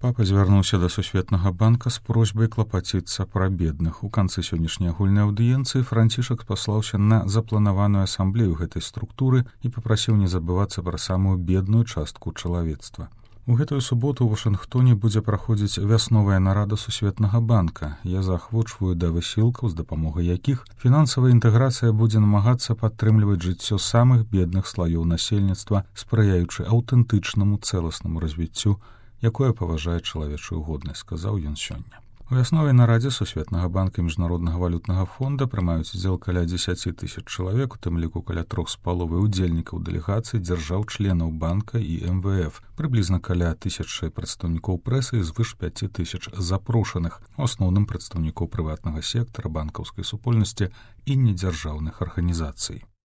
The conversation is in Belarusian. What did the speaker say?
Папа звярнуўся да Сусветнага банка з просьбай клапаціцца пра бедных. У канцы сённяшняй агульнай аўдыенцыі Францішак паслаўся на запланаваную асамблею гэтай структуры і папрасіў не забывацца пра самую бедную частку чалавецтва. У гэтую суботу ў Вашынгтоне будзе праходзіць вясновая нарада Сусветнага банка. Я заахвочваю да высілкаў, з дапамогай якіх фінансавая інтэграцыя будзе намагацца падтрымліваць жыццё самых бедных слаёў насельніцтва, спрыяючы аўтэнтычнаму цэласнаму развіццю, якое паважае чалавечую годнасць, сказаў ён сёння. У вясновай нарадзе Сусветнага банка і Міжнароднага валютнага фонда прымаюць удзел каля 10 000 чалавек, у тым ліку каля 3,5 удзельнікаў дэлегацый дзяржаў-членаў банка і МВФ, прыблізна каля 1000 прадстаўнікоў прэсы і звыш 5000 запрошаных, у асноўным прадстаўнікоў прыватнага сектара, банкаўскай супольнасці і недзяржаўных арганізацый.